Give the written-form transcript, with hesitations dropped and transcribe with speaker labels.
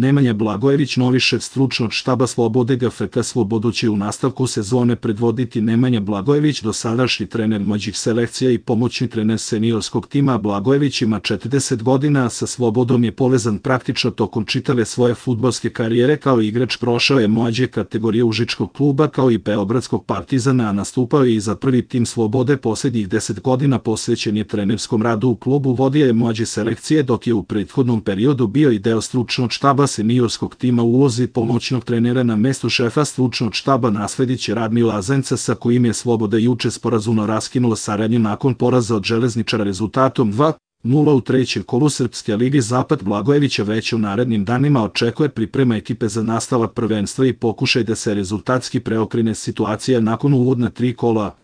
Speaker 1: Nemanja Blagojević, novi šef stručnog štaba Slobode GFK Slobodu će u nastavku sezone predvoditi Nemanja Blagojević, dosadašnji trener mlađih selekcija i pomoćni trener seniorskog tima. Blagojević ima 40 godina, a sa Slobodom je povezan praktično tokom čitave svoje fudbalske karijere. Kao igrač prošao je mlađe kategorije Užičkog kluba kao i Beogradskog Partizana, a nastupao je i za prvi tim Slobode. Poslednjih 10 godina posvećen je trenerskom radu u klubu, vodio je mlađe selekcije, dok je u prethodnom periodu bio i deo stručnog štaba seniorskog tima. U ulozi pomoćnog trenera na mestu šefa stručnog štaba naslediće Radmila Zenca, sa kojim je Sloboda juče sporazumno raskinula saradnju nakon poraza od Železničara rezultatom 2:0 u trećem kolu Srpske lige Zapad. Blagojevića već u narednim danima očekuje priprema ekipe za nastavak prvenstva i pokušaj da se rezultatski preokrene situacija nakon uvodna 3 kola.